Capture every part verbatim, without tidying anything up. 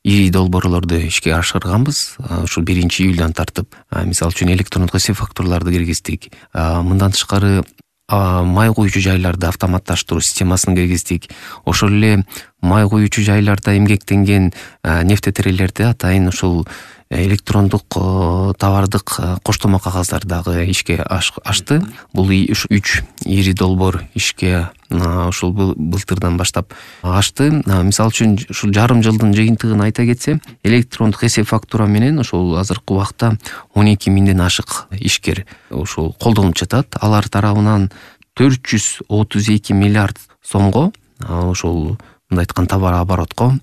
ири долбоорлорду ишке ашырганбыз. Ушул биринчи июлдан тартып, мисалы үчүн электрондук эсеп фактураларды киргиздик. Мындан тышкары май куюучу жайларды автоматташтыруу системасын киргиздик. Ошол эле май куюучу жайларда эмгектенген нефтетерелерди атайын ушул электрондук товардык коштомо кагаздарды дагы ишке ачты. Бул үч ири долбоор ишке ушул былтырдан баштап ачты. Мисалы үчүн ушул жарым жылдын жыйынтыгын айта кетсем, электрондук эсеп фактура менен ушул азыркы убакта он эки миңден ашык ишкер ушул колдонуп жатат. Алар тарабынан төрт жүз отуз эки миллиард сомго ушул мындай айткан товар оборотко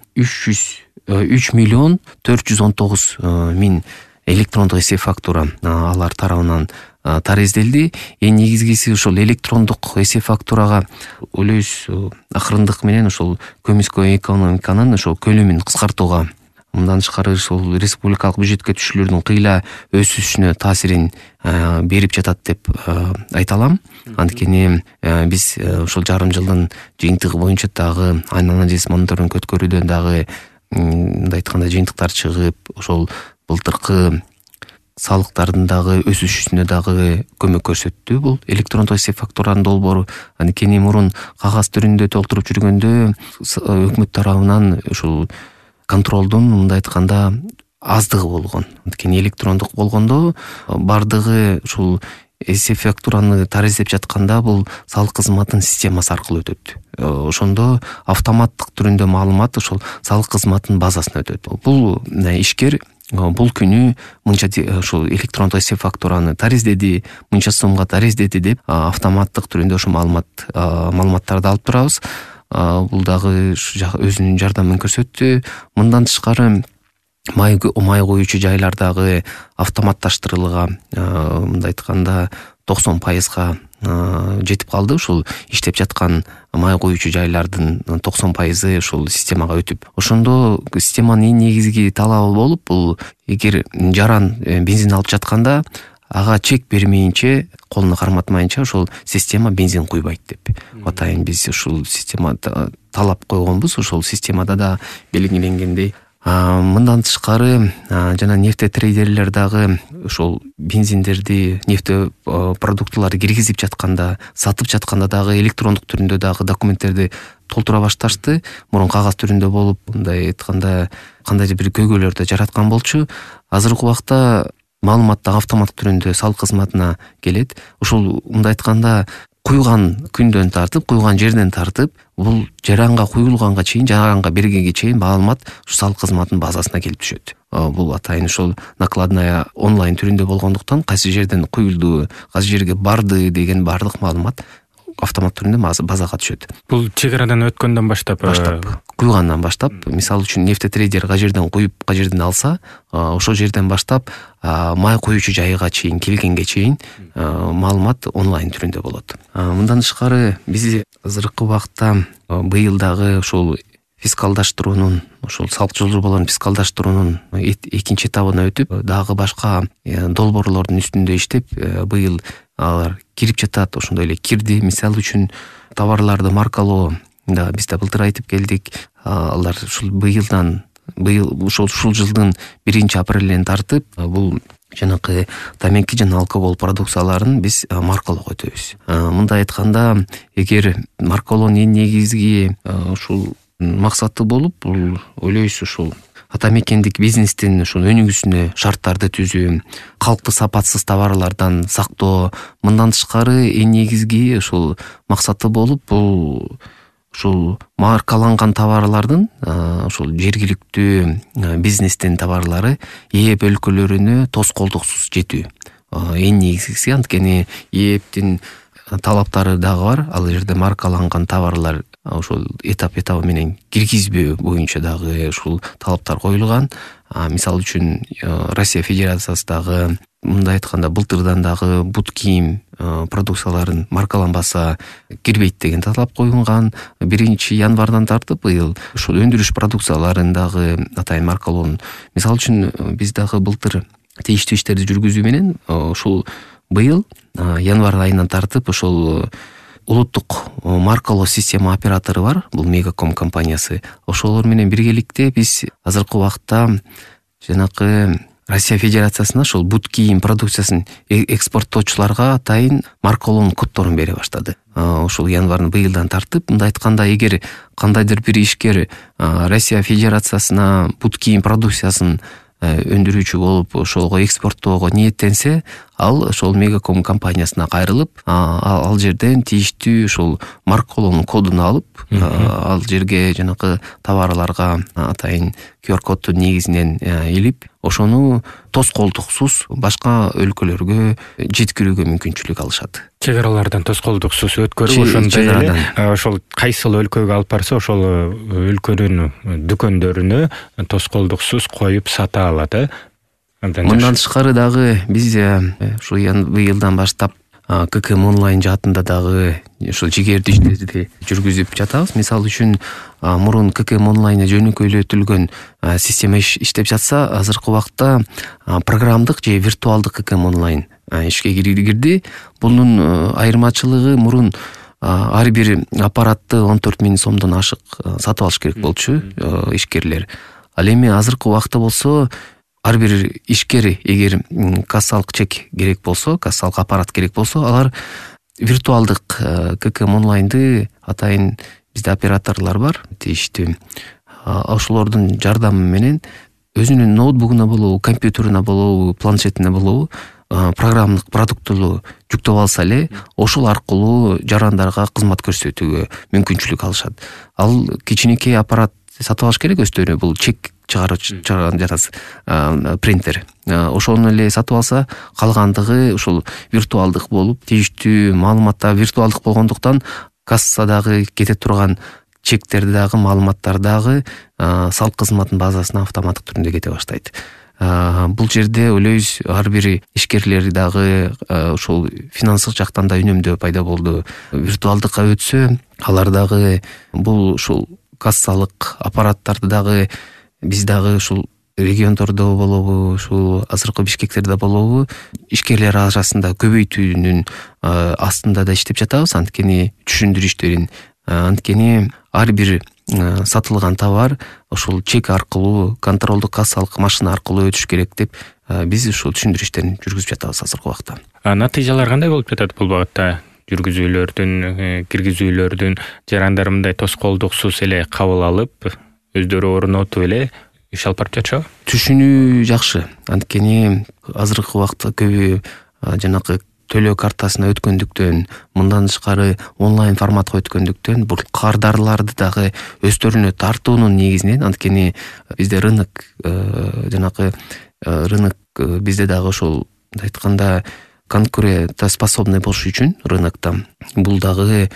үч миллион төрт жүз он тогуз миң электрондук эсеп фактура алар тарабынан тарезделди. Эң негизгиси ушул электрондук эсеп фактурага үлөс акырындык менен ушул көмүскө экономиканын ошол көлөмүн кыскартууга, мындан тышкары ушул республикалык бюджетке түшүүлөрдүн кыйла өсүшүнө таасирин берип жатат деп айта алам. Анткени биз ушул жарым жылдын жыйынтыгы боюнча дагы анализ мониторинг өткөрүүдөн дагы мындай айтканда жыйынтыктар чыгып, ошол былтыркы салыктардын дагы өсүшүнө дагы көмөк көрсөттү бул электрондук эсеп фактуранын долбоору. Анткени мурун кагаз түрүндө толтуруп жүргөндө өкмөт тарабынан ушул контролдун мындай айтканда аздыгы болгон. Анткени электрондук болгондо бардыгы ушул эсеп фактураны тарезлеп жатканда бул салык кызматынын системасы аркылуу өтөт. Ошондо автоматтык түрүндө маалымат ошол салык кызматынын базасына өтөт. Бул ишкер бул күнү мынча ушул электрондук эсеп фактураны тарезледи, мынча сомго тарезледи деп автоматтык түрүндө ошол маалымат маалыматтарды алып турабыз. Бул дагы өзүнүн жардамын көрсөттү. Мындан тышкары май куюучу жайлардагы автоматташтырылган мындай айтканда токсон пайызга жетип калды. Ушул иштеп жаткан май куюучу жайлардын токсон пайызы ушул системага өтүп. Ошондо системанын эң негизги талабы болуп, бул эгер жаран бензин алып жатканда ага чек бермейинче, колуна карматмайынча ошол система бензин куйбайт деп. Атайын биз ушул системада талап койгонбуз. Ошол системада да белгиленгендей. Мындан тышкары жана нефтетрейдерлер дагы ошол бензиндерди, нефте продуктыларды киргизип жатканда, сатып жатканда дагы электрондук түрүндө дагы документтерди толтура башташты. Мурун кагаз түрүндө болуп, мындай айтканда кандайдыр бир көйгөйлөрдү жараткан болчу. Азыркы убакта маалымат дагы автоматтык түрүндө салык кызматына келет. Ушул мындай айтканда куйган күндөн тартып, куйган жерден тартып, бул жаранга куюлганга чейин, жаранга бергенге чейин маалымат ушу салык кызматынын базасына келип түшөт. Бул атайын ушул накладная онлайн түрүндө болгондуктан кайсы жерден куюлду, кайсы жерге барды деген бардык маалымат автомат түрүндө базага түшөт. Бул чек арадан өткөндөн баштап, баштап куйгандан баштап, мисалы үчүн нефтетрейдер ка жерден куюп, ка жерден алса, ошол жерден баштап май куюучу жайга чейин келгенге чейин маалымат онлайн түрүндө болот. Мындан тышкары биз азыркы убакта быйыл дагы ушул фискалдаштыруунун, ошол салык жылжыууларын фискалдаштыруунун экинчи этабына өтүп, дагы башка долбоорлордун үстүндө иштеп, быйыл алар кирип жатат. Ошондой эле кирди. Мисалы үчүн товарларды маркалоо да биз да былтыр айтып келдик. Алар ушул быйылдан, быйыл ушул ушул жылдын биринчи апрелинен тартып, бул жанакы тамеки жана алкоголь продукцияларын биз маркалоого өтөбүз. Мындай айтканда, эгер маркалоонун эң негизги ушул максаты болуп, бул ойлойбуз ушул атамекендик бизнестин ушул өнүгүүсүнө шарттарды түзүү, калкты сапатсыз товарлардан сактоо. Мындан тышкары эң негизги ушул максаты болуп, бул ушул маркаланган товарлардын ушул жергиликтүү бизнестин товарлары ээп өлкөлөрүнө тоскоолдуксуз жетүү. Эң негизгиси, анткени ээптин талаптары дагы бар. Ал жерде маркаланган товарлар ошол этап-этабы менен киргизбөө боюнча дагы ушул талаптар коюлган. Мисалы үчүн Россия Федерациясы дагы мындай айтканда былтырдан дагы бут кийим продукцияларын маркаланбаса кирбейт деген талап коюлган. Биринчи январдан тартып быйыл ушул өндүрүш продукцияларын дагы атайын маркалоонун. Мисалы үчүн биз дагы былтыр тийиштүү иштерди жүргүзүү менен ушул быйыл январь айынан тартып ошол улуттук маркалоо система оператору бар, бул Мегаком компаниясы. Ошолор менен биргеликте биз азыркы убакта жанакы Россия Федерациясына ошол бут кийим продукциясын экспорттоочуларга атайын маркалоонун коддорун бере баштады. Ошол январь быйылдан тартып, мындай айтканда, эгер кандайдыр бир ишкер Россия Федерациясына бут кийим продукциясын өндүрүүчү болуп ошолго экспорттоого ниеттенсе, ал ошол Мегаком компаниясына кайрылып, ал жерден тийиштүү ошол маркалоонун кодун алып, ал жерге жанакы товарларга атайын ку ар коддун негизинен илип, ошону тоскоолдуксуз башка өлкөлөргө жеткирүүгө мүмкүнчүлүк алышат. Чек аралардан тоскоолдуксуз өткөрүп, ошондой эле ошол кайсыл өлкөгө алып барса, ошол өлкөнүн дүкөндөрүнө тоскоолдуксуз коюп сата алат, э? Мындан тышкары дагы биз ушу быйылдан баштап ККМ онлайн жаатында дагы ушул жигердүү иштерди жүргүзүп жатабыз. Мисалы үчүн, мурун ККМ онлайн жөнөкөйлөтүлгөн система иштеп жатса, азыркы убакта программдык же виртуалдык ККМ онлайн ишке кирди. Бунун айырмачылыгы, мурун ар бир аппаратты он төрт миң сомдон ашык сатып алыш керек болчу ишкерлер. Ал эми азыркы убакта болсо, ар бир ишкер эгер кассалык чек керек болсо, кассалык аппарат керек болсо, алар виртуалдык ККМ онлайнды атайын бизде операторлор бар, тийиштүү. Ошолордун жардамы менен өзүнүн ноутбугуна болобу, компьютерине болобу, планшетине болобу программдык продукту жүктөп алса эле, ошол аркылуу жарандарга кызмат көрсөтүүгө мүмкүнчүлүк алышат. Ал кичинекей аппарат сатып алыш керек өздөрүнө, бул чек чыгарган жатасы принтер. Ошону эле сатып алса, калгандыгы ушул виртуалдык болуп, тийиштүү маалыматтар виртуалдык болгондуктан кассадагы кете турган чектерди дагы, маалыматтар дагы салык кызматынын базасына автоматтык түрүндө кете баштайт. Бул жерде ойлойбуз, ар бир ишкерлер дагы ошол финансылык жактан да үнөмдөө пайда болду. Виртуалдыкка өтсө, алар дагы бул ушул кассалык аппараттарды дагы биз дагы ушул региондордо болобу, ушул азыркы Бишкектерде болобу, ишкерлер арасында көбөйтүүнүн астында да иштеп жатабыз. Анткени түшүндүрүү иштерин, анткени ар бир сатылган товар ошол чек аркылуу, контролдук кассалык машина аркылуу өтүш керек деп биз ушул түшүндүрүү иштерин жүргүзүп жатабыз азыркы убакта. Натыйжалар кандай болуп жатат бул багытта? Жүргүзүүлөрдүн, киргизүүлөрдүн жарандар мындай тоскоолдуксуз эле кабыл алып, өздөрү орнотуп эле иш алып барып жатышабы? Түшүнүү жакшы. Анткени азыркы убакта көбү жанакы төлөө картасына өткөндүктөн, мындан тышкары онлайн форматка өткөндүктөн, бул кардарларды дагы өздөрүнө тартуунун негизинен, анткени бизде рынок, жанакы рынок бизде дагы ошол айтканда конкурентоспособный болуш үчүн рынокто бул дагы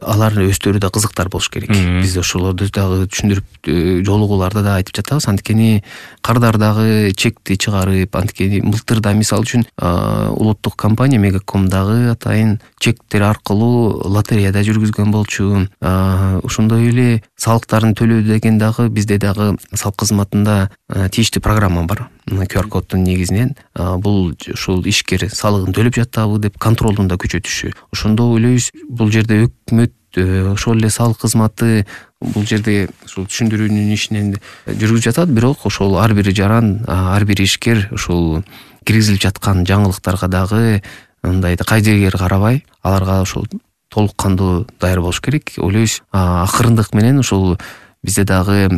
алар өздөрү да кызыктар болуш керек. Биз ошолорду дагы түшүндүрүп, жолугууларда да айтып жатабыз. Анткени кардар дагы чекти чыгарып, анткени былтырда мисалы үчүн улуттук компания Мегаком дагы атайын чектер аркылуу лотереяда жүргүзгөн болчу. Ошондой эле салыктарын төлөө деген дагы бизде дагы салык кызматында тийиштүү программа бар. ку ар коддун негизинен бул ушул ишкер салыгын төлөп жатабы деп контролдун да күчөтүшү. Ошондо ойлойбуз, бул жерде өкмөт ошол эле салык кызматы бул жерде ушул түшүндүрүүнүн ишинен жүргүзүп жатат, бирок ошол ар бир жаран, ар бир ишкер ушул киргизилип жаткан жаңылыктарга дагы мындай кайдыгер карабай, аларга ошол толук кандуу даяр болуш керек. Ойлойбуз, акырындык менен ушул бизде дагы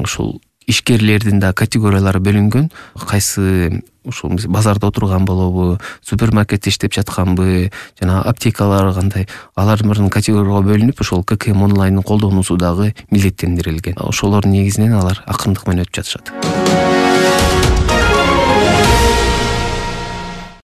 ушул ишкерлердин да категориялары бөлүнгөн. Кайсы ушул базарда отурган болобу, супермаркетте иштеп жатканбы, жана аптекалар кандай, алар бир категорияга бөлүнүп, ошол ККМ онлайндын колдонуусу дагы милдеттендирилген. Ошолордун негизинен алар акырындык менен өтүп жатышат.